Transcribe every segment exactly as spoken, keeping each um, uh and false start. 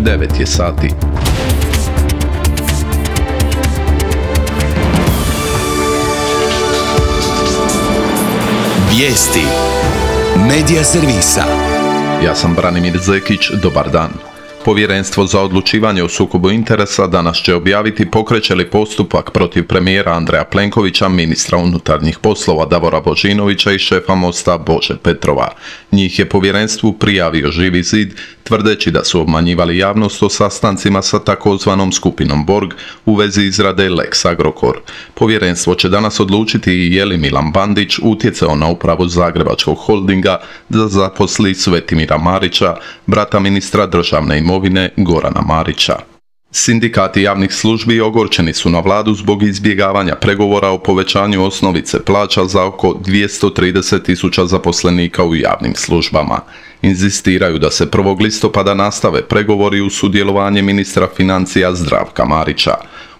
devet je sati. Vijesti Medija servisa. Ja sam Branimir Zekić, dobar dan. Povjerenstvo za odlučivanje o sukobu interesa danas će objaviti pokreće li postupak protiv premijera Andreja Plenkovića, ministra unutarnjih poslova Davora Božinovića i šefa Mosta Bože Petrova. Njih je povjerenstvu prijavio Živi zid, tvrdeći da su obmanjivali javnost o sastancima sa takozvanom skupinom Borg u vezi izrade Lex Agrokor. Povjerenstvo će danas odlučiti i je li Milan Bandić utjecao na upravu Zagrebačkog holdinga da zaposli Svetimira Marića, brata ministra državne imovine Gorana Marića. Sindikati javnih službi ogorčeni su na vladu zbog izbjegavanja pregovora o povećanju osnovice plaća za oko dvjesto trideset tisuća zaposlenika u javnim službama. Inzistiraju da se prvog listopada nastave pregovori uz sudjelovanje ministra financija Zdravka Marića.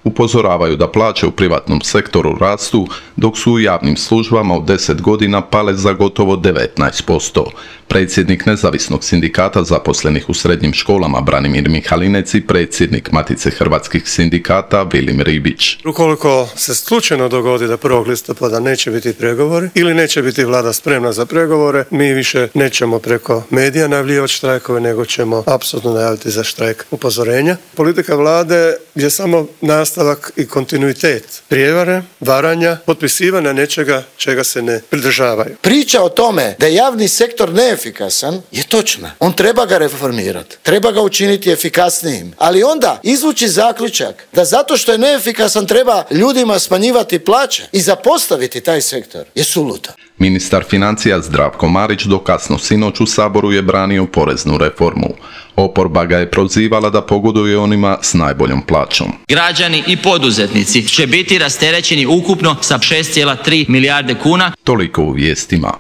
Upozoravaju da plaće u privatnom sektoru rastu, dok su u javnim službama u deset godina pale za gotovo devetnaest posto. Predsjednik nezavisnog sindikata zaposlenih u srednjim školama Branimir Mihalinec i predsjednik Matice hrvatskih sindikata Vilim Ribić. Ukoliko se slučajno dogodi da prvog listopada neće biti pregovori ili neće biti vlada spremna za pregovore, mi više nećemo preko medija najavljivati štrajkove, nego ćemo apsolutno najaviti za štrajk upozorenja. Politika vlade je samo nastavak i kontinuitet prijevare, varanja, potpisivanja nečega čega se ne pridržavaju. Priča o tome da je javni sektor neefikasan je točna. On treba ga reformirati, treba ga učiniti efikasnijim, ali onda izvući zaključak da zato što je neefikasan treba ljudima smanjivati plaće i zapostaviti taj sektor je suludo. Ministar financija Zdravko Marić do kasno sinoć u Saboru je branio poreznu reformu. Oporba ga je prozivala da pogoduje onima s najboljom plaćom. Građani i poduzetnici će biti rasterećeni ukupno sa šest zarez tri milijarde kuna. Toliko u vijestima.